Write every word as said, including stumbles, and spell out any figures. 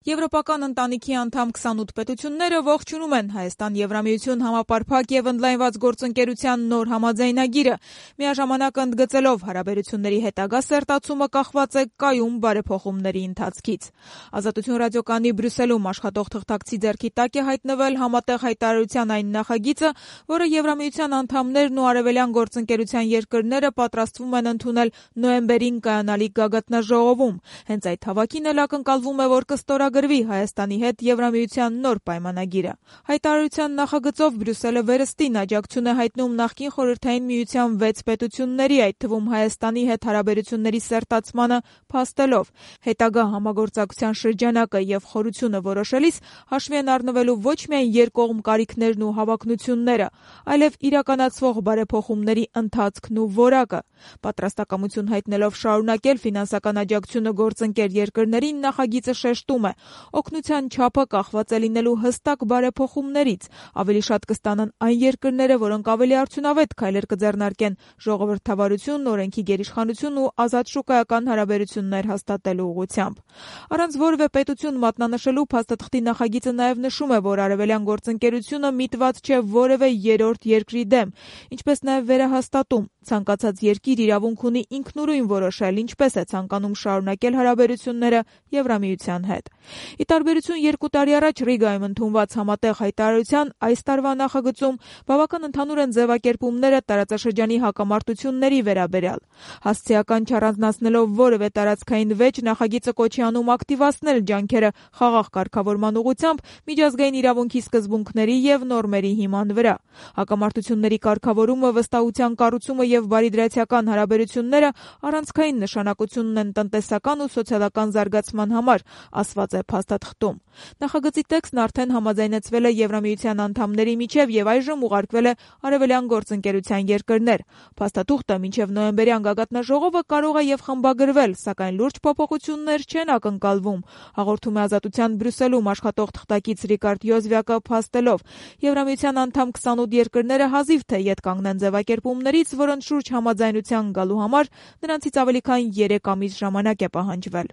Եվրոպական ընտանիքի անդամ քսանութ պետությունները ողջունում են Հայաստան-Եվրամիություն համապարփակ եւ ընդլայնված գործընկերության նոր համաձայնագիրը, միաժամանակ ընդգծելով հարաբերությունների հետագա սերտացումը կախված է կայուն բարեփոխումների ընթացքից։ Ազատություն ռադիոկայանի Բրյուսելում աշխատող թղթակցի ձեռքի տակ է հայտնվել համատեղ հայտարարության այն նախագիծը, որը Եվրամիության անդամներն ու արևելյան գործընկերության երկրները պատրաստվում են ընդունել նոյեմբերին կայանալիք գագաթնաժողովում։ Հենց այդ հավաքին էլ ակնկալվում է, որ կստորագրվի Հայաստանի հետ Եվրամիության նոր պայմանագիրը։ Հայտարարության նախագծով Բրյուսելը վերստին աջակցություն է հայտնում նախկին Խորհրդային Միության վեց պետությունների, այդ թվում Հայաստանի հետ հարաբերությունների սերտացմանը փաստելով հետագա համագործակցության շրջանակը եւ խորությունը որոշելիս հաշվի են առնվելու ոչ միայն երկկողմ կարիքներն ու հավակնությունները, այլև իրականացվող բարեփոխումների ընթացքն ու որակը։ Պատրաստակամություն հայտնելով շարունակել ֆինանսական աջակցությունը գործընկեր երկրներին, նախագիծը շեշտում է. օգնության չափը կախված է լինելու հստակ բարեփոխումներից, ավելի շատ կստանան այն երկրները, որոնք ավելի արդյունավետ քայլեր կձեռնարկեն ժողովրդավարություն, օրենքի գերիշխանություն ու ազատ շուկայական հարաբերություններ հաստատելու ուղղությամբ։ Առանց որևէ պետություն մատնանշելու փաստաթղթի նախագիծը նաև նշում է, որ արևելյան գործընկերությունը միտված չէ որևէ երրորդ երկրի դեմ, ինչպես նաև վերահաստատում ցանկացած երկիր իրավունք ունի ինքնուրույն որոշել, ինչպես է ցանկանում շարունակել հարաբերությունները Եվրամիության հետ։ Ի տարբերություն երկու տարի առաջ Ռիգայում ընդունված համատեղ հայտարարության, այս տարվա նախագծում բավական ընդհանուր են ձևակերպումները տարածաշրջանի հակամարտությունների վերաբերյալ։ Հասցեական չառանձնացնելով որևէ տարածքային վեճ, նախագիծը կոչի անում ակտիվացնել ջանքերը խաղաղ կարգավորման ուղղությամբ միջազգային իրավունքի սկզբունքների եւ նորմերի հիման վրա։ Հակամարտությունների կարգավորումը, վստահության կառուցումը եւ բարիդրացիական հարաբերությունները առանցքային նշանակություն ունեն տնտեսական ու սոցիալական զարգացման համար, ասված է փաստաթղթում։ Նախագծի տեքստն արդեն համաձայնեցվել է Եվրամիության անդամների միջև եւ այժմ ուղարկվել է արևելյան գործընկերության երկրներ։ Փաստաթուղթը մինչև նոյեմբերյան գագաթնաժողովը կարող է եւ խմբագրվել, սակայն լուրջ փոփոխություններ չեն ակնկալվում, հաղորդում է Ազատության Բրյուսելում աշխատող թղթակից Ռիկարդ Յոզվյակը փաստելով. Եվրամիության անդամ քսանութ երկրները հազիվ թե ետ կանգնեն ձևակերպումներից, որոնց շուրջ համաձայնության գալու համար նրանցից ավելի քան երեք ամիս ժամանակ է պահանջվել։